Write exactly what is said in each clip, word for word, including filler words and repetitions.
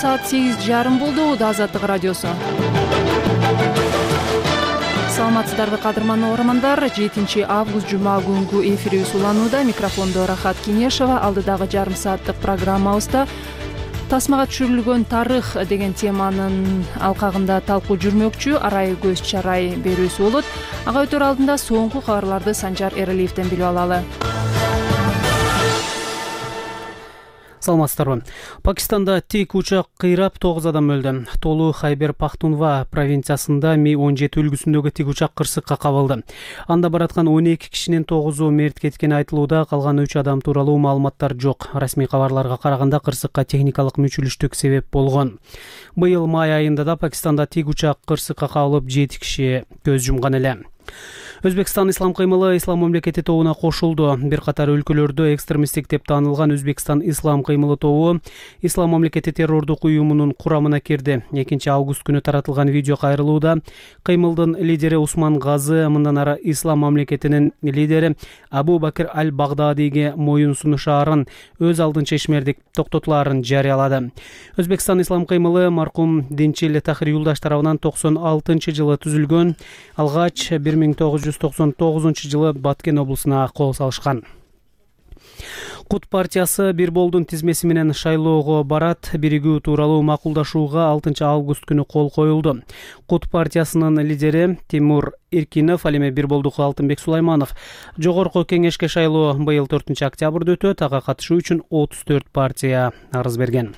саат сегиз жарым болду. Ууда Азаттык радиосу. Саламатсыздарбы кадырман угармандар. жетинчи август жума күнгү эфирибиз уланууда. Микрофондо Рахат Кинешева. Алдыдагы жарым сааттык программабызда тасмага түшүрүлгөн тарых деген теманын алкагында талкуу жүрмөкчү. Арай көз чарай берүүсү болот. Ага өтөр алдында соңку кабарларды Санжар Эралиевден билип алалы. Саламатсыздарбы. Пакистанда тик учак кыйрап тогуз адам өлдү. Толу Хайбер Пахтунва провинциясында Ми он жети үлгүсүндөгү тик учак кырсыкка кабылды. Анда бараткан он эки кишинин тогузу мерт кеткени айтылууда, калган үч адам тууралуу маалыматтар жок. Расмий кабарларга караганда кырсыкка техникалык мүчүлүштүк себеп болгон. Быйыл май айында да Пакистанда тик учак кырсыкка кабылып жети киши көз жумган эле. Өзбекстан ислам кыймылы ислам мамлекети тобуна кошулду. Бир катар өлкөлөрдө экстремисттик деп таанылган Өзбекстан ислам кыймылы тобу ислам мамлекети террордук уюмунун курамына кирди. экинчи август күнү таратылган видео кайрылууда кыймылдын лидери Усман Газы мындан ары ислам мамлекетинин лидери Абу Бакир аль-Багдадиге моюн сунушаарын өз алдынча ишмердик токтотулаарын жарыялады. Өзбекстан ислам кыймылы маркум Динчил Тахир Юлдаш тарабынан токсон алтынчы жылы түзүлгөн. Алгач бир миң тогуз жүз токсон тогузунчу жылы Баткен облусуна кол салышкан. Кут партиясы бир болдун тизмеси менен шайлоого барат биригүү тууралуу макулдашууга алтынчы август күнү кол коюлду. Кут партиясынын лидери Тимур Иркинов, ал эми бир болдук Алтынбек Сулайманов жогорку кеңешке шайлоо быйыл төртүнчү октябрда өтөт. Ага катышуу үчүн отуз төрт партия арыз берген.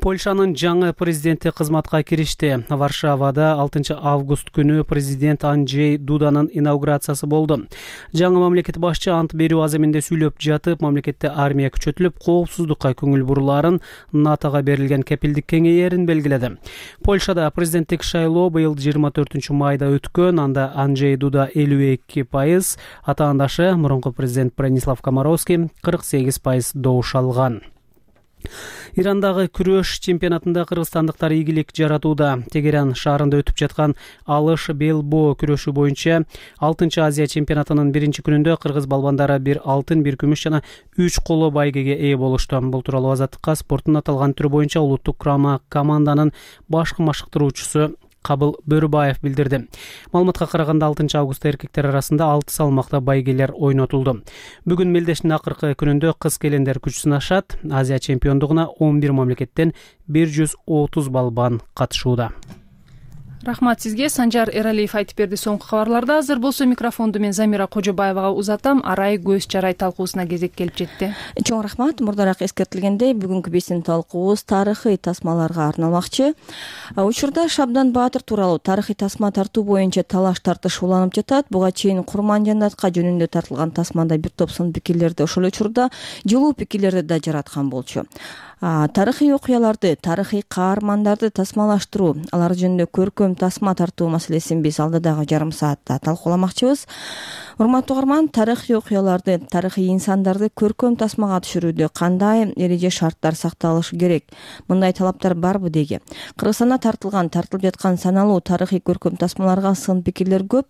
Польшанын жаңы президенти кызматка киришти. Варшавада алтынчы август күнү президент Анджей Дуданын инаугурациясы болду. Жаңы мамлекет башчы ант берүү аземинде сүйлөп жатып, мамлекетте армия күчөтүлүп, коопсуздукка көңүл бурулаарын, НАТОга берилген кепилдик кеңейерин белгиледи. Польшада президенттик шайлоо быйыл жыйырма төртүнчү майда өткөн. Анда Анджей Дуда элүү эки пайыз, атаандашы мурунку президент Бранислав Комаровский кырк сегиз пайыз добуш алган. Ирандагы күрөш чемпионатында кыргызстандыктар ийгилик жаратууда. Тегеран шаарында өтүп жаткан алыш белбоо күрөшү боюнча алтынчы Азия чемпионатынын биринчи күнүндө кыргыз балбандары бир алтын, бир күмүш жана үч коло байгеге ээ болушту. Бул тууралуу Азаттыкка спорттун аталган түрү боюнча улуттук курама команданын башкы машыктыруучусу Кабыл Бөрүбаев билдирди. Маалыматка караганда алтынчы августта эркектер арасында алты салмакта байгелер ойнотулду. Бүгүн мелдештин акыркы күнүндө кыз келендер күч сынашат. Азия чемпиондугуна он бир мамлекеттен бир жүз отуз балбан катышууда. Рахмат сизге. Санжар Эралиев айтып берди соңку кабарларда. Азыр болсо микрофонду мен Замира Кожобаевага узатам. Арай көз чарай талкуусуна кезек келип жетти. Чоң рахмат. Мурдараак эскертилгендей, бүгүнкү биздин талкуубуз тарыхый тасмаларга арналмакчы. Учурда Шабдан Баатыр тууралуу тарыхый тасма тартуу боюнча талаш тартыш уланып жатат. Буга чейин Курман-Жаннатка жөнүндө тартылган тасмада бир топ сын пикирлерди, ошол учурда жылуу пикирлерди да жараткан болчу. Тарыхый окуяларды, тарыхый каармандарды тасмалаштыруу, алар жөнүндө көркөм тасма тартуу маселесин биз алдыдагы жарым саатта талкууламакчыбыз. Урматтуу угарман, тарыхый окуяларды, тарыхый инсандарды көркөм тасмага түшүрүүдө кандай эреже шарттар сакталышы керек? Мындай талаптар барбы деги? Кыргызстанда тартылган, тартылып жаткан саналуу тарыхый көркөм тасмаларга сын пикирлер көп.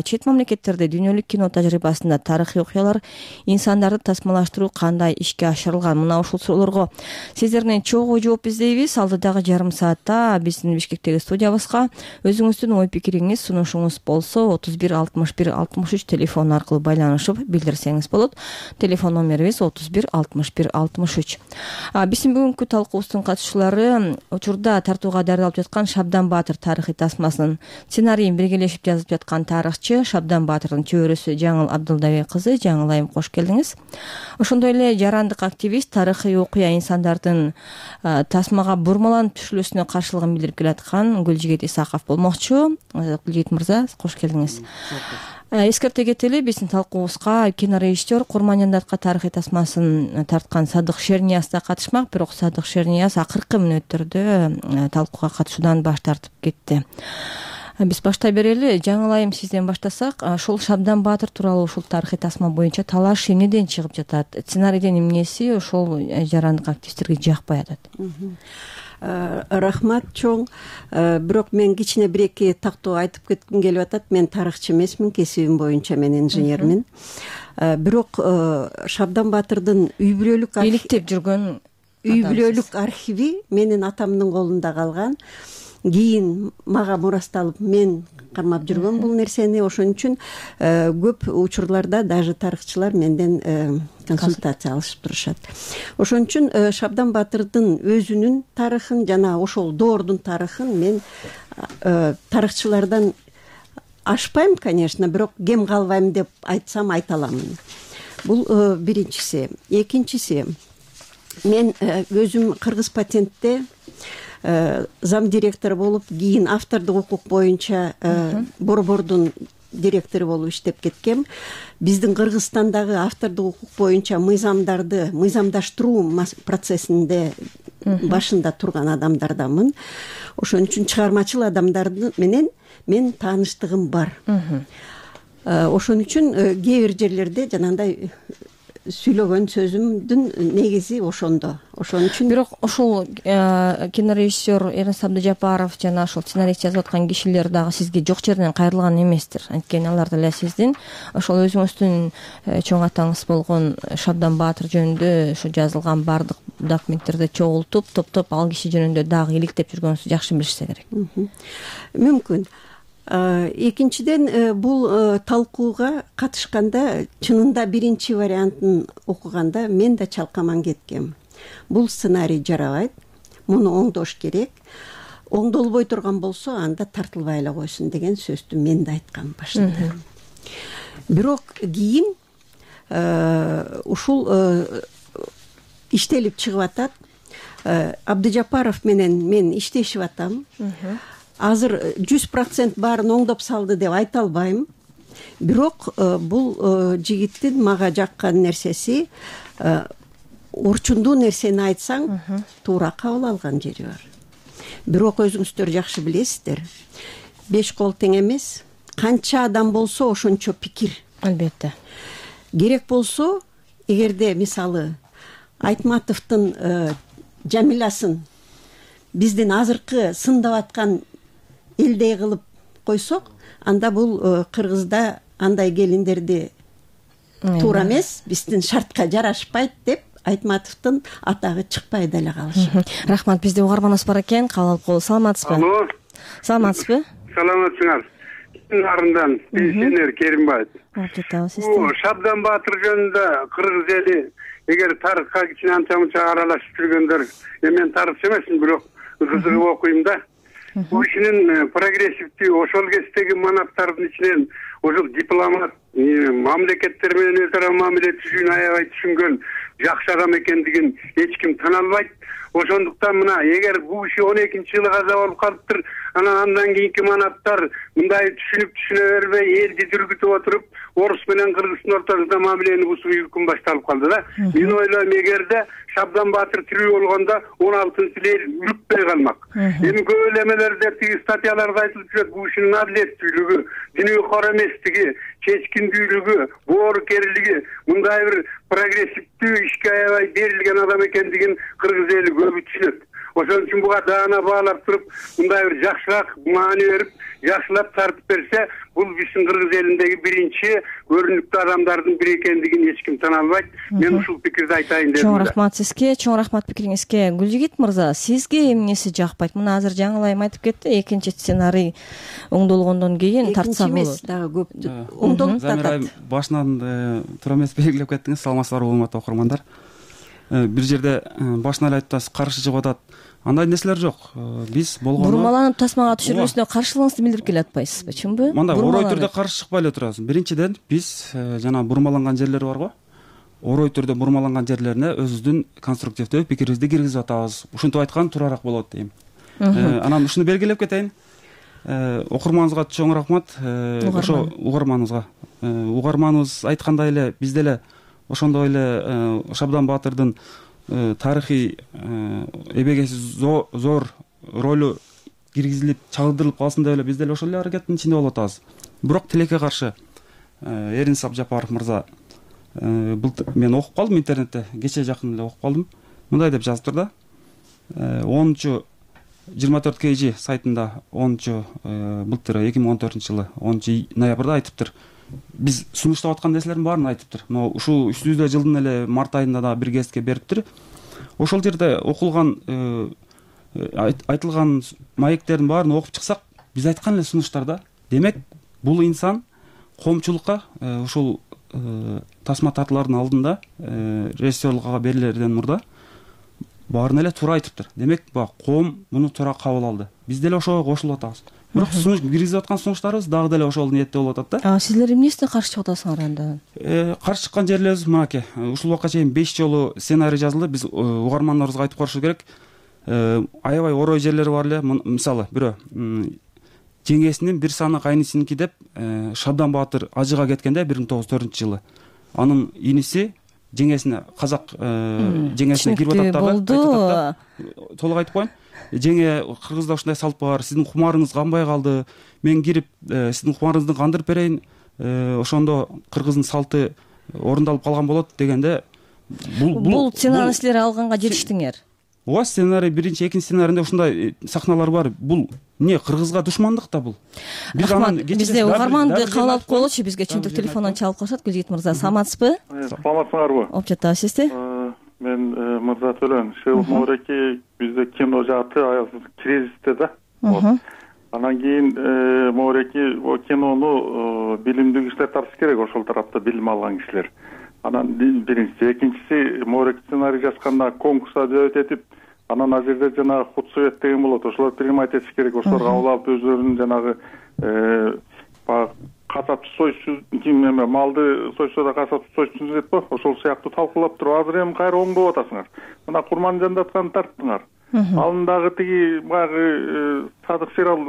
Чет мамлекеттерде дүйнөлүк кино тажрыйбасында тарыхый окуялар, инсандарды тасмалаштыруу кандай ишке ашырылган? Мына ушул суроолорго сиздерден чогуу жооп издейбиз. Алдыдагы жарым саатта биздин Бишкектеги студиябызга өзүңүздүн ой пикириңиз, сунушуңуз болсо отуз бир алтымыш бир алтымыш үч телефон аркылуу байланышып билдирсеңиз болот. Телефон номерибиз отуз бир алтымыш бир алтымыш үч. Биздин бүгүнкү талкуубуздун катышчылары учурда тартууга даярдалып жаткан Шабдан Баатыр тарыхый тасмасынын сценарийин биргелешип жазып жаткан тарыхчы Шабдан Баатырдын чөбөрөсү Жаңыл Абдылдабек кызы. Жаңыл айым, кош келдиңиз. Ошондой эле жарандык активист, тарыхый окуя инсандардын тасмага бурмаланып түшүлүүсүнө каршылыгын билдирип келаткан Гүлжигит Исаков болмокчу. Гүлжигит мырза, кош келдиңиз. Эскерте кетели, биздин талкуубузга кинорежиссер Курман-Жаннатка тарыхый тасмасын тарткан Садык Шернияз да катышмак, бирок Садык Шернияз акыркы мүнөттөрдө талкууга катышуудан баш тартып кетти. Биз баштай берели. Жаңыл айым, сизден баштасак, ошол Шабдан Баатыр тууралуу ушул тарыхый тасма боюнча талаш эмнеден чыгып жатат? Сценарийден эмнеси ошол жарандык активисттерге жакпай атат? Рахмат чоң. Бирок мен кичине бир эки тактоо айтып кетким келип атат. Мен тарыхчы эмесмин, кесибим боюнча мен инженермин. Бирок Шабдан Баатырдын үй бүлөлүк иликтеп жүргөн үй бүлөлүк архиви менин атамдын колунда калган. Кийин мага мурасталып мен кармап жүргөм бул нерсени. Ошон үчүн көп учурларда даже тарыхчылар менден консультация алышып турушат. Ошон үчүн Шабдан Батырдын өзүнүн тарыхын жана ошол доордун тарыхын мен тарыхчылардан ашпайм, конечно, бирок кем калбайм деп айтсам айта аламын. Бул биринчиси. Экинчиси, мен өзүм Кыргыз патентте зам директор болуп, кийин автордук укук боюнча борбордун директору болуп иштеп кеткем. Биздин Кыргызстандагы автордук укук боюнча мыйзамдарды мыйзамдаштыруу процессинде башында турган адамдардамын. Ошон үчүн чыгармачыл адамдар менен мен тааныштыгым бар. Ошон үчүн кээ бир жерлерде жанагындай сүйлөгөн сөзүмдүн негизи ошондо. Ошон үчүн бирок ошол кинорежиссер Эрнест Абдыжапаров жана ошол сценарийди жазып аткан кишилер дагы сизге жок жерден кайрылган эместир. Анткени алар деле сиздин ошол өзүңүздүн чоң атаңыз болгон Шабдан Баатыр жөнүндө ошо жазылган баардык документтерди чогултуп, топтоп ал киши жөнүндө дагы иликтеп жүргөнүңүздү жакшы билишсе керек. Мүмкүн. Экинчиден, бул талкууга катышканда чынында биринчи вариантын окуганда мен да чалкаман кеткем. Бул сценарий жарабайт, муну оңдош керек. Оңдолбой турган болсо анда тартылбай эле койсун деген сөздү мен да айткам башында. Бирок кийин ушул иштелип чыгып атат. Абдыжапаров менен мен иштешип атам. Азыр жүз процент баарын оңдоп салды деп айта албайм. Бирок бул жигиттин мага жаккан нерсеси, орчундуу нерсени айтсаң, туура кабыл алган жери бар. Бирок өзүңүздөр жакшы билесиздер, беш кол тең эмес. Канча адам болсо ошончо пикир. Албетте. Керек болсо, эгерде мисалы Айтматовдун Жамилясын биздин азыркы сындап аткан элдей кылып койсок, анда бул Кыргызда андай келиндерди туура эмес, биздин шартка жарашпайт деп Айтматовдун атагы чыкпай деле калышы. Рахмат, бизде угарманыбыз бар экен, кабыл алып коелу. Саламатсызбы? Алло. Саламатсызбы? Саламатсыңар. Нарындан пенсионер Керимбаев. Бул Шабдан Баатыр жөнүндө кыргыз эли эгер тарыхка кичине анча мынча аралашып жүргөндөр, мен тарыхчы эмесмин, бирок кызыгып окуйм да. Бул кишинин прогрессивдүү ошол кездеги манаптардын ичинен ошол дипломат, мамлекеттер менен өз ара мамиле түзүүнү аябай түшүнгөн жакшы адам экендигин эч ким тана албайт. Ошондуктан мына эгер бул киши он экинчи жылы каза болуп калыптыр, анан андан кийинки манаптар мындай түшүнүп түшүнө бербей элди дүргүтүп отуруп, орус менен кыргыздын ортосунда мамилени бузуу үкүм башталып калды да. Мен ойлойм, эгерде Шабдан Баатыр тирүү болгондо он алтынчы эл үрүкпөй калмак. Эми көп эле эмелерде тиги статьяларда айтылып жүрөт, бул кишинин адилеттүүлүгү, дүйнөгө эместиги, чечкиндүүлүгү, боорукерлиги, мындай бир прогрессивдүү ишке аябай берилген адам экендигин кыргыз эли көбү түшүнөт. Ошон үчүн буга даана баалап туруп, мындай бир жакшыраак маани берип, жакшылап тартып берсе, бул биздин кыргыз элиндеги биринчи көрүнүктүү адамдардын бири экендигин эч ким тана албайт. Мен ушул пикирди айтайын дедим. Чоң рахмат сизге, чоң рахмат пикириңизге. Гүлжигит мырза, сизге эмнеси жакпайт? Мына азыр жаңылайым айтып кетти, экинчи сценарий оңдолгондон кийин тартса болот. Экинчи эмес, дагы көп оңдолуп атат. Башынан туура эмес белгилеп кеттиңиз. Саламатсыздарбы, урматтуу окурмандар. Бир жерде башынан эле айтып атасыз, каршы чыгып атат. Андай нерселер жок. Биз болгондо бурмаланып тасмага түшүрүлүүсүнө каршылыгыңызды билдирип келатпайсызбы, чынбы? Мындай орой түрдө каршы чыкпай эле турабыз. Биринчиден, биз жана бурмаланган жерлер барго, орой түрдө бурмаланган жерлерине өзүбүздүн конструктивдүү пикирибизди киргизип атабыз. Ушинтип айткан туурараак болот дейм. Анан ушуну белгилеп кетейин. Окурманыбызга чоң рахмат. Ошо угарманыбызга. Угарманыбыз айткандай эле биз деле ошондой эле Шабдан Баатырдын тарыхый эбегеси зор ролу киргизилип, чагылдырылып калсын деп эле биз деле ошол эле аракеттин ичинде болуп атабыз. Бирок тилекке каршы Эрнест Абдыжапаров мырза, мен окуп калдым интернетте, кече жакын эле окуп калдым. Мындай деп жазыптыр да. онунчу жыйырма төрт кей жи сайтында онунчу былтыр эки миң он төртүнчү жылы онунчу ноябрда айтыптыр. Биз сунуштап аткан нерселердин баарын айтыптыр. Но ушул үстүбүздө жылдын эле март айында да бир кезге бериптир. ошол жерде окулган айтылган маектердин баарын окуп чыксак, биз айткан эле сунуштарда, демек бул инсан коомчулукка ушул тасма тартуулардын алдында режиссерлукка берилерден мурда баарын эле туура айтыптыр. Демек баягы коом муну туура кабыл алды. Биз деле ошого кошулуп атабыз. Бирок сунуш киргизип аткан сунуштарыбыз дагы деле ошол ниетте болуп атат да. А силер эмнесине каршы чыгып атасыңар анда? Каршы чыккан жерлерибиз мынакей. Ушул убакка чейин беш жолу сценарий жазылды. Биз угармандарыбызга айтып коюшубуз керек. Аябай орой жерлери бар эле. Мисалы, бирөө жеңесинин бир саны кайнисиники деп Шабдан Баатыр ажыга кеткенде бир миң тогуз жүз төртүнчү жылы анын иниси жеңесине казак жеңесине кирип атат дагы. Толук айтып коеюн. Жеңе кыргызда ушундай салт бар, сиздин кумарыңыз канбай калды, мен кирип сиздин кумарыңызды кандырып берейин, ошондо кыргыздын салты орундалып калган болот дегенде бул бул сценарийни силер алганга жетиштиңер. Ооба, сценарий биринчи, экинчи сценарийде ушундай сахналар бар. Бул эмне, кыргызга душмандык да бул. Биз анан бизде угарманды кабыл алып коелучу, бизге чынтык телефондон чалып коюшат. Гүлжигит мырза, саламатсызбы? Саламатсыңарбы? Оп жатабыз, сизди? Мен Мырза Төлөн, Шеул Мореки бизде кино жааты кризисте да. Анан кийин Мореки о кинону билимдүү кишилер тартыш керек, ошол тарапта билим алган кишилер. Анан биринчиси, экинчиси Морек сценарий жазганда конкурска дөбөт этип, анан ал жерде жанагы худсовет деген болот. Ошолор принимать этиш керек, ошолор кабыл алып өзлөрүнүн жанагы касапчы сойчу ким эме малды сойсо касапчы сойчусун деп го, ошол сыяктуу талкуулап туруп азыр эми кайра оңдоп атасыңар. Мына Курман Жандатканы тарттыңар. Анын дагы тиги баягы Садык Серал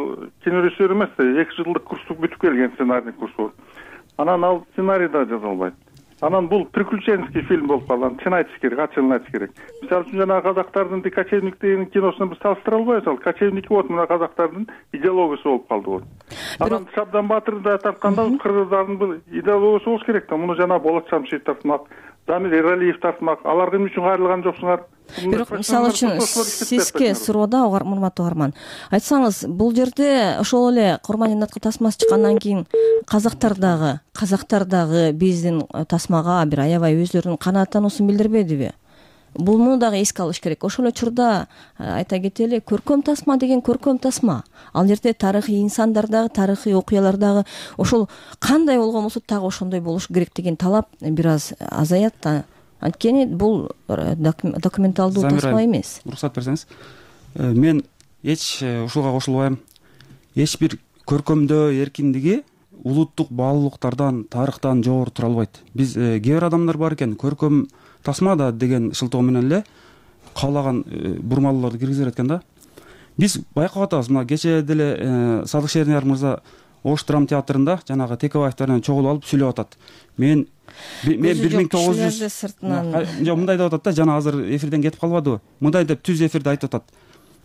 кинорежиссер эмес, эки жылдык курсту бүтүп келген сценарийный курсу. Анан ал сценарий да жаза албайт. Анан бул приключенческий фильм болуп калган. Чын айтыш керек, ачыгын айтыш керек. Мисалы үчүн жанагы казактардын Кочевник деген киносун биз салыштыра албайбыз. Ал Кочевник болот, мына казактардын идеологиясы болуп калды вот. Анан Шабдан Баатырды тартканда кыргыздардын бул идеологиясы болуш керек да. Муну жана Болот Шамшиев тартмак, Замир Эралиев тартмак. Алар эмне үчүн кайрылган жоксуңар? Бирок мисалы үчүн сизге суроода, урматтуу угарман, айтсаңыз, бул жерде ошол эле Курман Жандаткы тасмасы чыккандан кийин казактар дагы, казактар дагы биздин тасмага бир аябай өздөрүнүн канааттануусун билдирбедиби? Буну дагы эске алыш керек. Ошол учурда айта кетели, көркөм тасма деген көркөм тасма. Ал жерде тарыхый инсандар дагы, тарыхый окуялар дагы ошол кандай болгон болсо дагы ошондой болуш керек деген талап бир аз азаят да. Анткени бул документалдуу тасма эмес. Уруксат берсеңиз. Мен эч ушуга кошулбайм. Эч бир көркөмдөө эркиндиги улуттук баалуулуктардан, тарыхтан жогору тура албайт. Биз кээ бир адамдар бар экен, көркөм тасма да деген шылтоо менен эле каалаган бурмалууларды киргизе берет экен да. Биз байкап атабыз, мына кечээ деле Садык Шернияр мырза Ош драма театрында жанагы Текебаевдер менен чогулуп алып сүйлөп атат. Мен мен бир миң тогуз жүз жок мындай деп атат да, жана азыр эфирден кетип калбадыбы? Мындай деп түз эфирде айтып атат.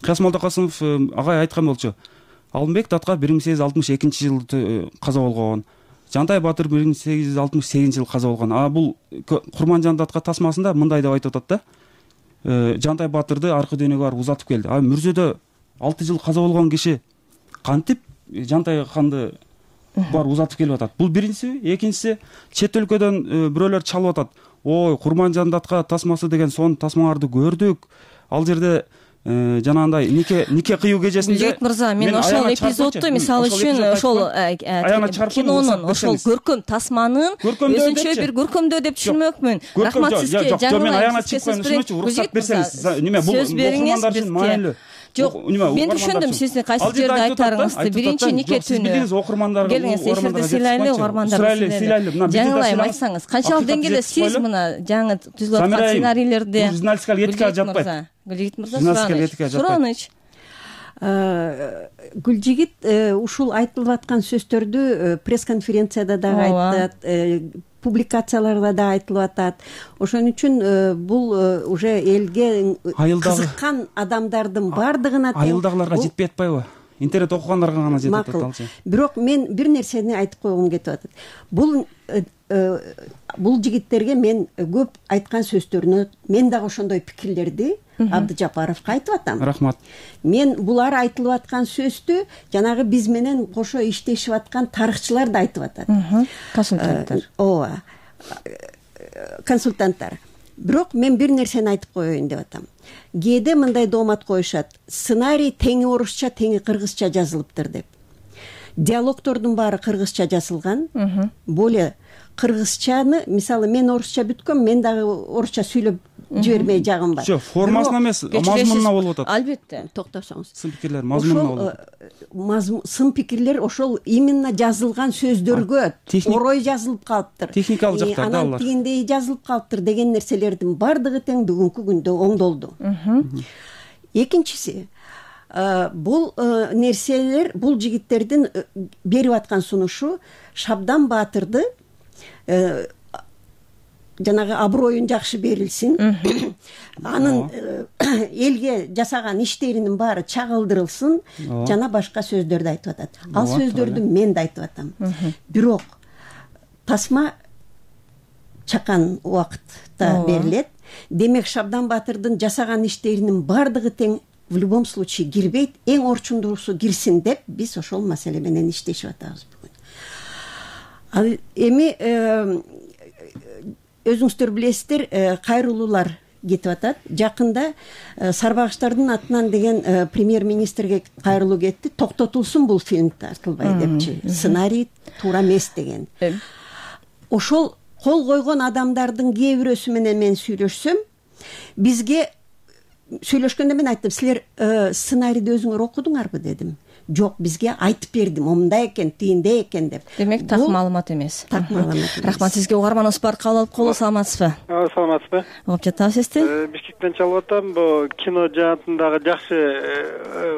Кыяс Молдокасымов агай айткан болчу. Алымбек Датка бир миң сегиз жүз алтымыш экинчи жылы каза болгон. Жантай Батыр бир миң сегиз жүз алтымыш сегизинчи жылы каза болгон. А бул Курман Жандатка тасмасында мындай деп айтып атат да. Жантай Батырды аркы дүйнөгө барып узатып келди. А Мүрзөдө алты жыл каза болгон киши кантип Жантай ханды бар узатып келип атат? Бул биринчиси. Экинчиси, чет өлкөдөн бирөөлөр чалып атат. Ой, Курман Жандатка тасмасы деген сонун тасмаларды көрдүк. Ал жерде жанагындай нике нике кыюу кежесинде. Гүлжигит мырза, мен ошол эпизодду мисалы үчүн ошол кинонун ошол көркөм тасманын өзүнчө бир көркөмдөө деп түшүнмөкмүн. Рахмат сизге. Жок, мен аягына чыгып коеюн, ушунчу уруксат берсеңиз. Неме бул окурмандар үчүн маанилүү. Жок, мен түшүндүм сиздин кайсы жерде айтарыңызды. Биринчи нике түнү. Билдиңиз, окурмандарга, келиңиз эфирде сыйлайлы, угармандарды сыйлайлы. Жаңылайм айтсаңыз, канчалык деңгээлде сиз мына жаңы түзүлүп аткан сценарийлерди журналистикалык этикага жатпайт. Гүлжигит мырза, сураныч. Гүлжигит ушул айтылып аткан сөздөрдү пресс-конференцияда дагы айтат, публикацияларда да айтылып атат. Ошон үчүн бул уже элге кызыккан адамдардын бардыгына айылдагыларга жетпей атпайбы? Интернет окугандарга гана жетет аталчы. Бирок мен бир нерсени айтып койгум кетип атат. Бул бул жигиттерге мен көп айткан сөздөрүнө мен дагы ошондой пикирлерди Абдыжапаровго айтып атам. Рахмат. Мен булар айтылып аткан сөздү жанагы биз менен кошо иштешип аткан тарыхчылар да айтып атат. Консультанттар. Ооба. Консультанттар. бирок мен бир нерсени айтып коеюн деп атам. Кээде мындай доомат коюшат: сценарий теңи орусча, теңи кыргызча жазылыптыр деп. Диалогтордун баары кыргызча жазылган. Более кыргызчаны, мисалы мен орусча бүткөм, мен дагы орусча сүйлөп жибермей жагым бар. Жок, формасына эмес, мазмунуна болуп атат. Албетте. Токтосоңуз. Сын пикирлер мазмунуна болуп атат. Сын пикирлер ошол именно жазылган сөздөргө орой жазылып калыптыр. Техникалык жактарда алар. Анан тигиндей жазылып калыптыр деген нерселердин бардыгы тең бүгүнкү күндө оңдолду. Экинчиси, бул нерселер, бул жигиттердин берип аткан сунушу Шабдан Баатырды жанагы аброюн жакшы берилсин, анын элге жасаган иштеринин баары чагылдырылсын, жана башка сөздөрдү айтып атат. Ал сөздөрдү мен да айтып атам. Бирок тасма чакан убакытта берилет. Демек Шабдан Баатырдын жасаган иштеринин бардыгы тең в любом случае кирбейт, эң орчундуусу кирсин деп биз ошол маселе менен иштешип атабыз бүгүн. Ал эми өзүңүздөр билесиздер, кайрылуулар кетип атат. Жакында Сарбагычтардын атынан деген премьер-министрге кайрылуу кетти. Токтотулсун бул фильм тартылбай депчи. Сценарий туура эмес деген. Ошол кол койгон адамдардын кээ бирөөсү менен мен сүйлөшсөм, бизге сүйлөшкөндө мен айттым: силер сценарийди өзүңөр окудуңарбы дедим. Жок, бизге айтып берди, момундай экен, тигиндей экен деп. Демек так маалымат эмес. Так маалымат эмес. Рахмат сизге. Угарманыбыз бар, кабыл алып коелу. Саламатсызбы? Саламатсызбы? Угуп жатабыз. Бишкектен чалып атам. Бу кино жаатындагы жакшы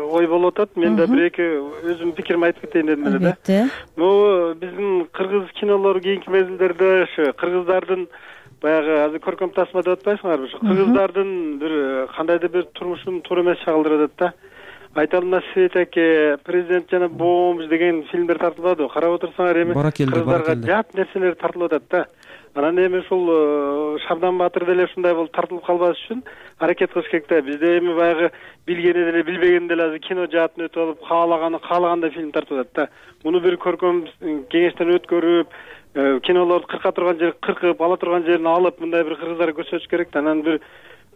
ой болуп атат. Мен да бир эки өзүм пикиримди айтып кетейин дедим эле да. Албетте. Бу биздин кыргыз кинолору кийинки мезгилдерде ошо кыргыздардын баягы азыр көркөм тасма деп атпайсыңарбы? Ошо кыргыздардын бир кандайдыр бир турмушун туура эмес чагылдырып атат да. Айталмас Свет аке, Президент жана бомж деген фильмдер тартылбады. Карап отурсаңар эми кыргыздарга жат нерселер тартылып атат да. Анан эми ушул Шабдан Баатыр деле ушундай болуп тартылып калбаш үчүн аракет кылыш керек да. Бизде эми баягы билгени деле билбегени деле азыр кино жаатын өтүп алып, каалаганы каалагандай фильм тартып атат да. Муну бир көркөм кеңештен өткөрүп, кинолорду кырка турган жер кыркып, ала турган жерин алып, мындай бир кыргыздарга көрсөтүш керек да. Анан бир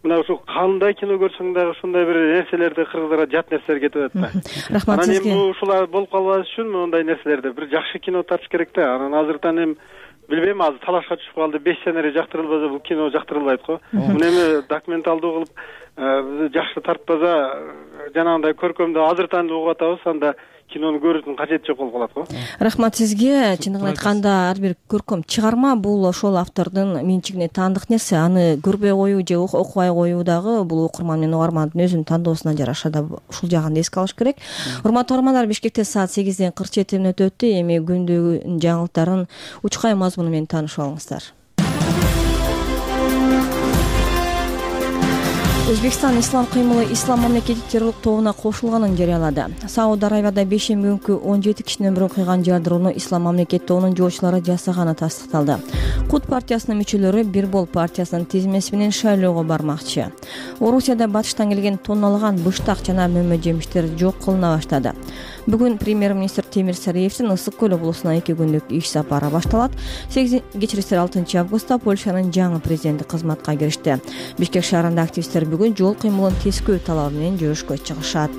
мына ушул кандай кино көрсөң дагы ушундай бир нерселерди кыргыздарга жат нерселер кетип атат да. Рахмат сизге. Анан эми ушулар болуп калбаш үчүн мондай нерселерди бир жакшы кино тартыш керек да. Анан азыртан эми билбейм, азыр талашка түшүп калды. Беш сценарий жактырылбаса бул кино жактырылбайт го. Муну эми документалдуу кылып жакшы тартпаса, жанагындай көркөмдү азыртан угуп атабыз, анда кинону көрүүнүн кажети жок болуп калат го. Рахмат сизге. Чындыгын айтканда, ар бир көркөм чыгарма бул ошол автордун менчигине таандык нерсе. Аны көрбөй коюу же окубай коюу дагы бул окурман менен угармандын өзүнүн тандоосуна жараша да ушул жагын эске алыш керек. Урматтуу угармандар, Бишкекте саат сегизден кырк жети мүнөт өттү. Эми күндүн жаңылыктарын учкай мазмуну менен таанышып алыңыздар. Өзбекстан ислам кыймылы ислам мамлекети террорлук тобуна кошулганын жарыялады. Сауд Арабияда бешемби күнкү он жети кишинин өмүрүн кыйган жардырууну ислам мамлекет тобунун жоочулары жасаганы тастыкталды. Кут партиясынын мүчөлөрү Бирбол партиясынын тизмеси менен шайлоого бармакчы. Орусияда батыштан келген тонналаган быштак жана мөмө жемиштер жок кылына баштады. Бүгүн премьер-министр Темир Сариевдин Ысык көл облусуна эки күндүк иш сапары башталат. Кечирисиз алтынчы августта Польшанын жаңы президенти кызматка киришти. Бишкек шаарында активисттер бүгүн жол кыймылын тескөө талабы менен жүрүшкө чыгышат.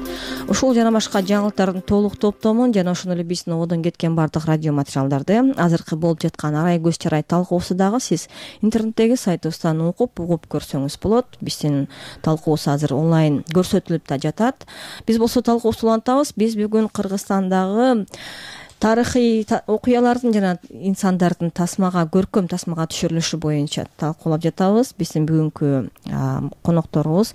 Ушул жана башка жаңылыктардын толук топтомун жана ошондой эле биздин одон кеткен бардык радио материалдарды, азыркы болуп жаткан арай көз чарай талкуусу дагы сиз интернеттеги сайтыбыздан окуп, угуп көрсөңүз болот. Биздин талкуубуз азыр онлайн көрсөтүлүп да жатат. Биз болсо талкуубузду улантабыз. Биз бүгүн Кыргызстандагы тарыхый окуялардын жана инсандардын тасмага, көркөм тасмага түшүрүлүшү боюнча талкуулап жатабыз. Биздин бүгүнкү конокторубуз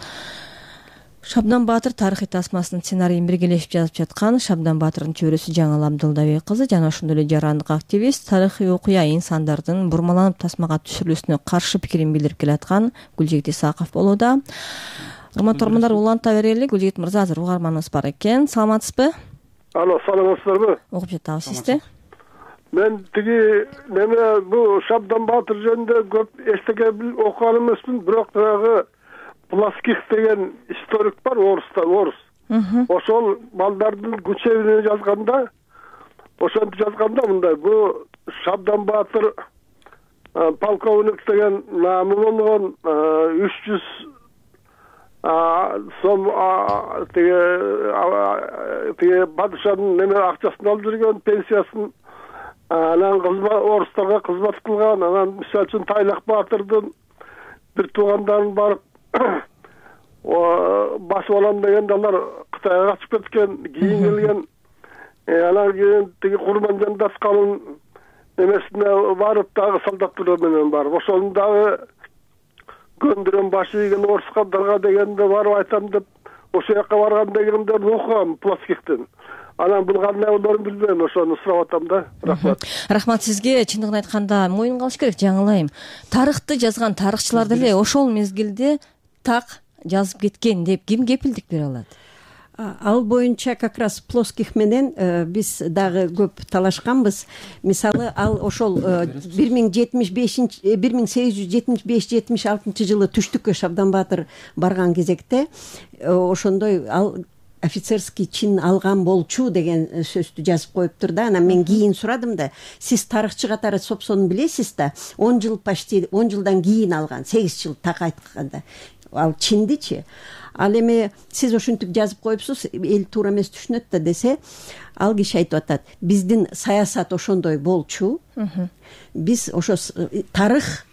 Шабдан Баатыр тарыхый тасмасынын сценарийин биргелешип жазып жаткан Шабдан Баатырдын чөйрөсү Жаңыл Абдылдабек кызы жана ошондой эле жарандык активист, тарыхый окуя инсандардын бурмаланып тасмага түшүрүлүүсүнө каршы пикирин билдирип келаткан Гүлжигит Исаков болууда. Урматтуу угармандар, уланта берели. Гүлжигит мырза, азыр угарманыбыз бар экен. Саламатсызбы? Алло, саламатсыздарбы? Угуп жатабыз сизди. Мен тиги неме бу Шабдан Баатыр жөнүндө көп эстеге окуган эмесмин, бирок дагы Пласких деген историк бар, оруста, орус. Ошол балдардын Гучевине жазганда, ошентип жазганда мындай: бу Шабдан Баатыр полковник деген наамы болгон, үч жүз сом тиги тиги падышанын неме акчасын алып жүргөн, пенсиясын. Анан орустарга кызмат кылган. Анан мисалы үчүн Тайлак Баатырдын бир туугандарын барып басып алам дегенде алар Кытайга качып кеткен, кийин келген. Анан кийин тиги Курманжан Датканын немесине барып дагы солдаттар менен барып, ошону дагы көндүрөм, башы ийген орускалдарга дегенде барып айтам деп, ошол жака барган дегенде окугам Плоскихтен. Анан бул кандай болоорун билбейм, ошону сурап атам да. Рахмат. Рахмат сизге. Чындыгын айтканда моюнга алыш керек, жаңылайм. Тарыхты жазган тарыхчылар деле ошол мезгилде так жазып кеткен деп ким кепилдик бере алат? Ал боюнча как раз Плоских менен биз дагы көп талашканбыз. Мисалы, ал ошол бир миң жетимиш бешинчи бир миң сегиз жүз жетимиш беш жетимиш алтынчы жылы түштүккө Шабдан Баатыр барган кезекте ошондой ал офицерский чин алган болчу деген сөздү жазып коюптур да. Анан мен кийин сурадым да, сиз тарыхчы катары Сопсону билесиз да, он жыл почти он жылдан кийин алган, сегиз жыл так айтканда. Ал чиндичи. Ал эми сиз ушинтип жазып коюпсуз, эл туура эмес түшүнөт да десе, ал киши айтып атат, биздин саясат ошондой болчу. Биз ошо тарых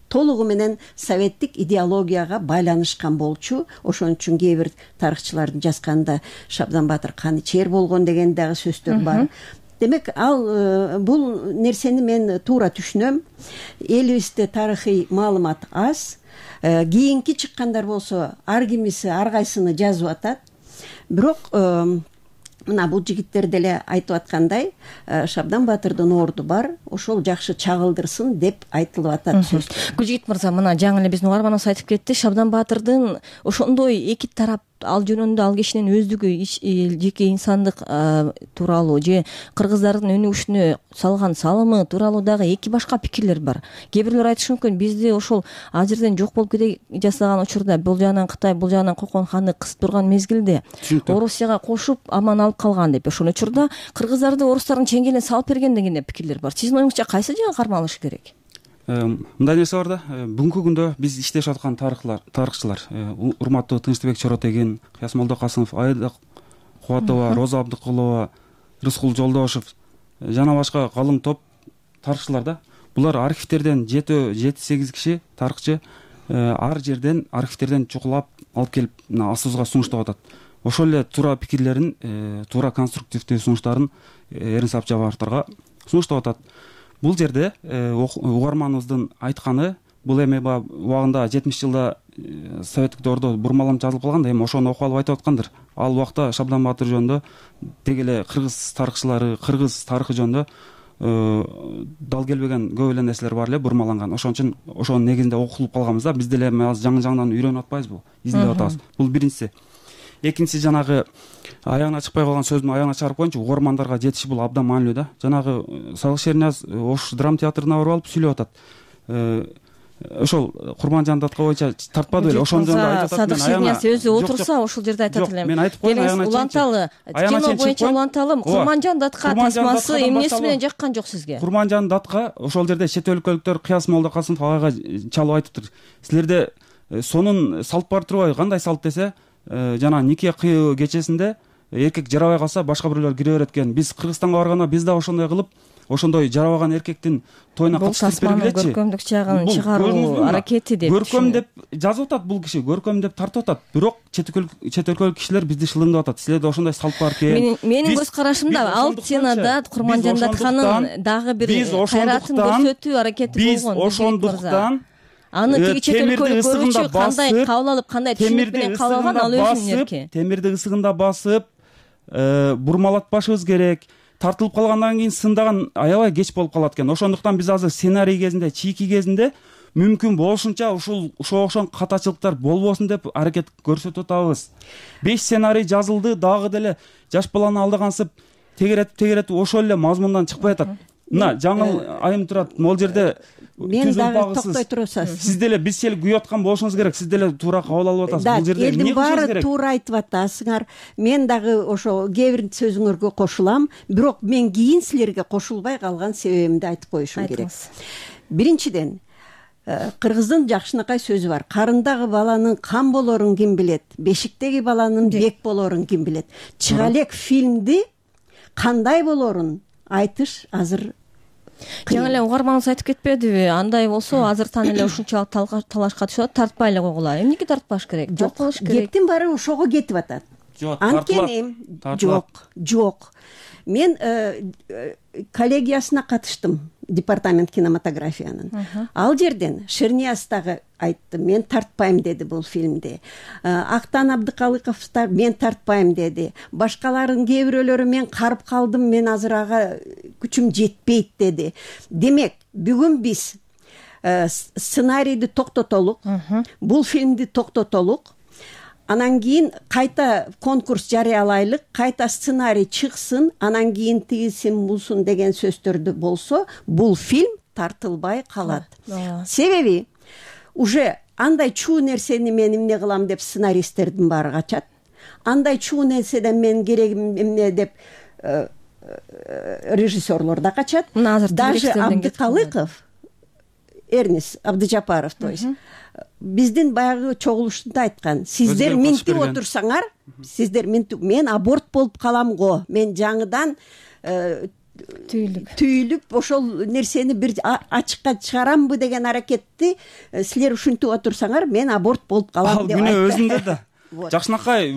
толугу менен советтик идеологияга байланышкан болчу. Ошон үчүн кээ бир тарыхчылардын жазганда Шабдан Баатыр каны чер болгон деген дагы сөздөр бар. Демек, ал бул нерсени мен туура түшүнөм. Элибизде тарыхый маалымат аз. Кийинки чыккандар болсо ар кимиси ар кайсыны жазып атат. Бирок мына бул жигиттер деле айтып аткандай, Шабдан Баатырдын орду бар, ошол жакшы чагылдырсын деп айтылып атат сөз. Гүлжигит мырза, мына жаңы эле биздин угарманыбыз айтып кетти, Шабдан Баатырдын ошондой эки тарап ал жөнүндө ал кишинин өздүгү жеке инсандык тууралуу же кыргыздардын өнүгүшүнө салган салымы тууралуу дагы эки башка пикирлер бар. Кээ бирлер айтышы мүмкүн, бизди ошол ал жерден жок болуп кете жасаган учурда бул жагынан Кытай, бул жагынан Кокон ханды кысып турган мезгилде Орусияга кошуп аман алып калган деп. Ошол учурда кыргыздарды орустардын чеңгелине салып берген деген пикирлер бар. Сиздин оюңузча кайсы жагы кармалыш керек? Мындай нерсе бар да, бүгүнкү күндө биз иштешип аткан тарыхчылар, тарыхчылар, урматтуу Тынчтыбек Чоротеген, Кыяс Молдокасымов, Айда Кубатова, Роза Абдыкулова, Рыскул Жолдошев жана башка калың топ тарыхчылар да. Булар архивтерден жети сегиз киши тарыхчы ар жерден архивтерден чукулап алып келип астыбызга сунуштап атат. Ошол эле туура пикирлерин, туура конструктивдүү сунуштарын Эрин Сапчабаевдарга сунуштап атат. Бул жерде угарманыбыздын айтканы, бул эми убагында жетимиш жылда советтик доордо бурмаланып жазылып калган да, эми ошону окуп алып айтып аткандыр. Ал убакта Шабдан Баатыр жөнүндө деги эле кыргыз тарыхчылары, кыргыз тарыхы жөнүндө дал келбеген көп эле нерселер бар эле бурмаланган. Ошон үчүн ошонун негизинде окулуп калганбыз да. Биз деле азыр жаңы-жаңыдан үйрөнүп атпайбызбы? Издеп атабыз. Бул биринчиси. Экинчиси, жанагы аягына чыкпай калган сөздүн аягына чыгарып коеюнчу, угармандарга жетиши бул абдан маанилүү да. Жанагы Салык Шернияз Ош драма театрына барып алып сүйлөп атат. Ошол Курманжан Датка боюнча тартпады беле, ошон жөнүндө айтып атат. Салык Шернияз өзү отурса ошол жерде айтат элем. Мен айтып коеюн, аягына уланталы, кино боюнча уланталы Курманжан Датка тасмасы эмнеси менен жаккан жок сизге? Курманжан Датка ошол жерде чет өлкөлүктөр Кыяс Молдокасымов агайга чалып айтыптыр. Силерде сонун салт бар турбайбы? Кандай салт десе, жана нике кыйуу кечесинде эркек жарабай калса башка бирөөлөр кире берет экен. Биз Кыргызстанга барганда биз да ошондой кылып, ошондой жарабаган эркектин тоюна катыштырып бергилечи. Бул көркөмдүк жагын чыгаруу аракети деп. Көркөм деп жазып атат бул киши, көркөм деп тартып атат. Бирок чет өлкөлүк кишилер бизди шылыңдап атат. Силерде ошондой салт бар экен. Менин көз карашымда ал сценада Курманжан Датканын дагы бир кайратын көрсөтүү аракети болгон. Биз ошондуктан аны тиги чет өлкөлүк көрүүчү кандай кабыл алып, кандай түшүнүк менен кабыл алган, ал өзүнүн эрки. Темирди ысыгында басып, бурмалатпашыбыз керек. Тартылып калгандан кийин сындаган аябай кеч болуп калат экен. Ошондуктан биз азыр сценарий кезинде, чийки кезинде мүмкүн болушунча ушул ошого окшогон катачылыктар болбосун деп аракет көрсөтүп атабыз. беш сценарий жазылды, дагы деле жаш баланы алдагансып тегеретип тегеретип ошол эле мазмундан чыкпай атат. Мына жаңыл айым турат, могул жерде мен дагы токтой турсаңыз, сиз деле биз сел күйүп аткан болушуңуз керек, сиз деле туура кабыл алып атасыз. Да, Бул жерде эмне элдин кылышыңыз баары керек? туура айтып атасыңар. Мен дагы ошо кээ бир сөзүңөргө кошулам, бирок мен кийин силерге кошулбай калган себебимди айтып коюшум керек. Биринчиден, кыргыздын жакшынакай сөзү бар. Карындагы баланын кам болорун ким билет, бешиктеги баланын бек болорун ким билет. Чыга элек фильмди кандай болорун айтыш азыр жаңы эле угарманыңыз айтып кетпедиби? Андай болсо азыртан эле ушунчалык талашка түшөт, тартпай эле койгула. Эмнеге тартпаш керек? Тартылыш керек. Кептин баары ошого кетип атат. Жок, анткени жок, жок. Мен коллегиясына катыштым, департамент кинематографиянын. Ал жерден Шернияз дагы айтты, мен тартпайм деди бул фильмди. Актан Абдыкалыков да мен тартпайм деди. Башкалардын кээ бирөөлөрү мен карып калдым, мен азыр ага күчүм жетпейт деди. Демек, бүгүн биз сценарийди токтотолук, бул фильмди токтотолук. Анан кийин кайта конкурс жарыялайлык, кайта сценарий чыксын, анан кийин тигисин бусун деген сөздөрдү болсо, бул фильм тартылбай калат. Себеби уже андай чуу нерсени мен эмне кылам деп сценаристтердин баары качат. Андай чуу нерседен мен керегим эмне деп режиссерлор да качат. Даже Абдыкалыков, Эрнис Абдыжапаров, то есть биздин баягы чогулушунда айткан, сиздер минтип отурсаңар, сиздер минтип, мен аборт болуп калам го, мен жаңыдан түйүлүп түйүлүп ошол нерсени бир ачыкка чыгарамбы деген аракетти силер ушинтип отурсаңар, мен аборт болуп калам деп айтты. Ал күнөө айтты. өзүндө да. Жакшынакай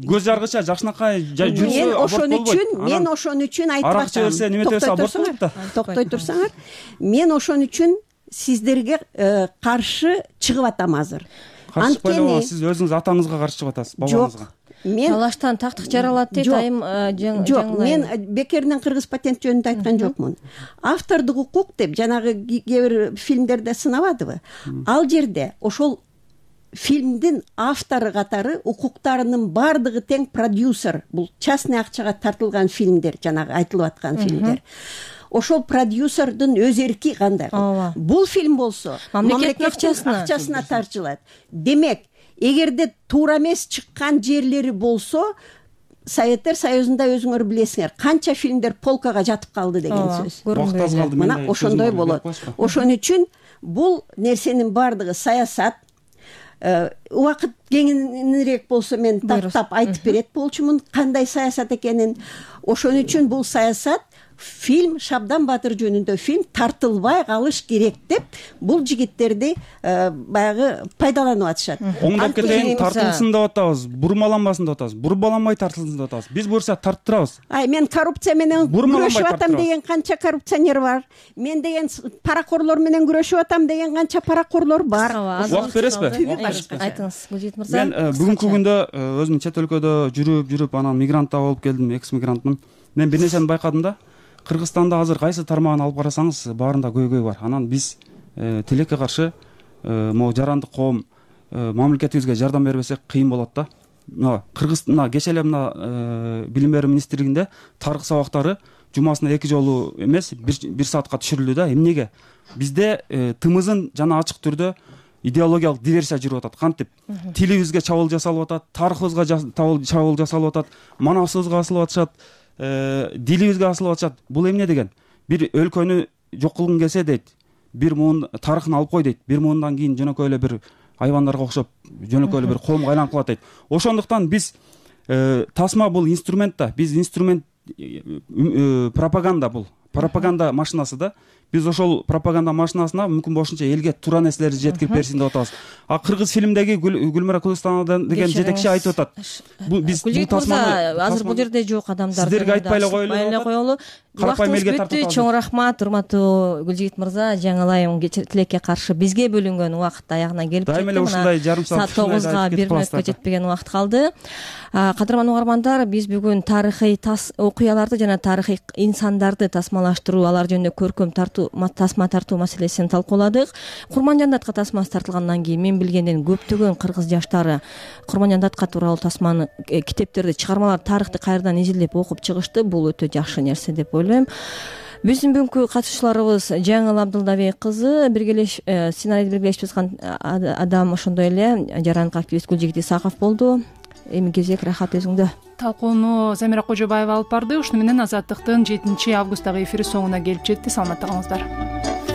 көз жаргыча, Жакшынакай жүрсө аборт болбойт. Мен ошон үчүн айтып атам. Арак чөбөрсө, неме десе аборт болот да. Токтой турсаңар, мен ошон үчүн сиздерге каршы чыгып атам азыр. Анткени сиз өзүңүз атаңызга каршы чыгып атасыз, бабаңызга. Мен талаштан тактык жаралат дейт айым жаңылайм. Жок, мен бекеринен кыргыз патент жөнүндө айткан жокмун. Автордук укук деп жанагы кээ бир фильмдерде сынабадыбы? Ал жерде ошол фильмдин автору катары укуктарынын бардыгы тең продюсер. Бул частный акчага тартылган фильмдер, жанагы айтылып аткан фильмдер. Ошол продюсердин өз эрки кандай? Бул фильм болсо мамлекеттин акчасына тартылат. Демек, эгерде туура эмес чыккан жерлери болсо, Советтер Союзунда өзүңөр билесиңер, канча фильмдер полкага жатып калды деген сөз. Мына ошондой болот. Ошон үчүн бул нерсенин бардыгы саясат. Убакыт кеңирээк болсо мен тактап айтып берет болчумун кандай саясат экенин. Ошон үчүн бул саясат фильм Шабдан Батыр жөнүндө фильм тартылбай калыш керек деп бул жигиттерди баягы пайдаланып атышат. Оңдоп кетейин, тартылсын деп атабыз, бурмаланбасын деп атабыз. Бурмаланбай тартылсын деп атабыз. Биз буюрса тарттырабыз. Ай, мен коррупция менен күрөшүп атам деген канча коррупционер бар. Мен деген паракорлор менен күрөшүп атам деген канча паракорлор бар. Убакыт бересизби? Айтыңыз, Гүлжит мырза. Мен бүгүнкү күндө өзүм чет өлкөдө жүрүп, жүрүп анан мигрант да болуп келдим, экс мигрантмын. Мен бир нерсени байкадым да. Кыргызстанда азыр кайсы тармагын алып карасаңыз, баарында көйгөй бар. Анан биз тилекке каршы могу жарандык коом мамлекетибизге жардам бербесек кыйын болот да. Мына Кыргыз мына кечээ эле мына билим берүү министрлигинде тарых сабактары жумасына эки жолу эмес, бир саатка түшүрүлдү да. Эмнеге? Бизде тымызын жана ачык түрдө идеологиялык диверсия жүрүп атат. Кантип? Тилибизге чабуул жасалып атат, тарыхыбызга чабуул жасалып атат, манасыбызга асылып атышат. Дилибизге асылып атышат. Бул эмне деген? Бир өлкөнү жок кылгың келсе дейт, бир муун тарыхын алып кой дейт. Бир муундан кийин жөнөкөй эле бир айвандарга окшоп, жөнөкөй эле бир коомго айланып калат дейт. Ошондуктан биз тасма бул инструмент да. Биз инструмент пропаганда бул. Пропаганда машинасы да. Биз ошол пропаганда машинасына мүмкүн болушунча элге туура нерселерди жеткирип берсин деп атабыз. А кыргыз фильмдеги Гүлмира Кулустанова деген жетекчи айтып атат. Бул биз бул тасманы азыр бул жерде жок адамдар сиздерге айтпай эле коелу. Карапайым элге тартып. Чоң рахмат, урматтуу Гүлжит мырза. Жаңылайым тилекке каршы бизге бөлүнгөн убакыт аягына келип жетти. Дайым эле ушундай жарым саат тогузга бир мүнөткө жетпеген убакыт калды. Кадырман угармандар, биз бүгүн тарыхый окуяларды жана тарыхый инсандарды тасмалаштыруу, алар жөнүндө көркөм тартуу тасма тартуу маселесин талкууладык. Курманжан датка тасмасы тартылгандан кийин мен билгенден көптөгөн кыргыз жаштары Курманжан датка тууралуу тасманы, китептерди, чыгармалар, тарыхты кайрадан изилдеп окуп чыгышты. Бул өтө жакшы нерсе деп ойлойм. биздин бүгүнкү катышууларыбыз жаңыл Абдылдабек кызы, биргелеш сценарийди биргелешип жазган адам, ошондой эле жарандык активист Гүлжигит Исаков болду. Эми кезек рахат өзүңдө. Талкууну Замира Кожобаева алып барды. Ушуну менен Азаттыктын жетинчи августтагы эфири соңуна келип жетти. Саламатта калыңыздар.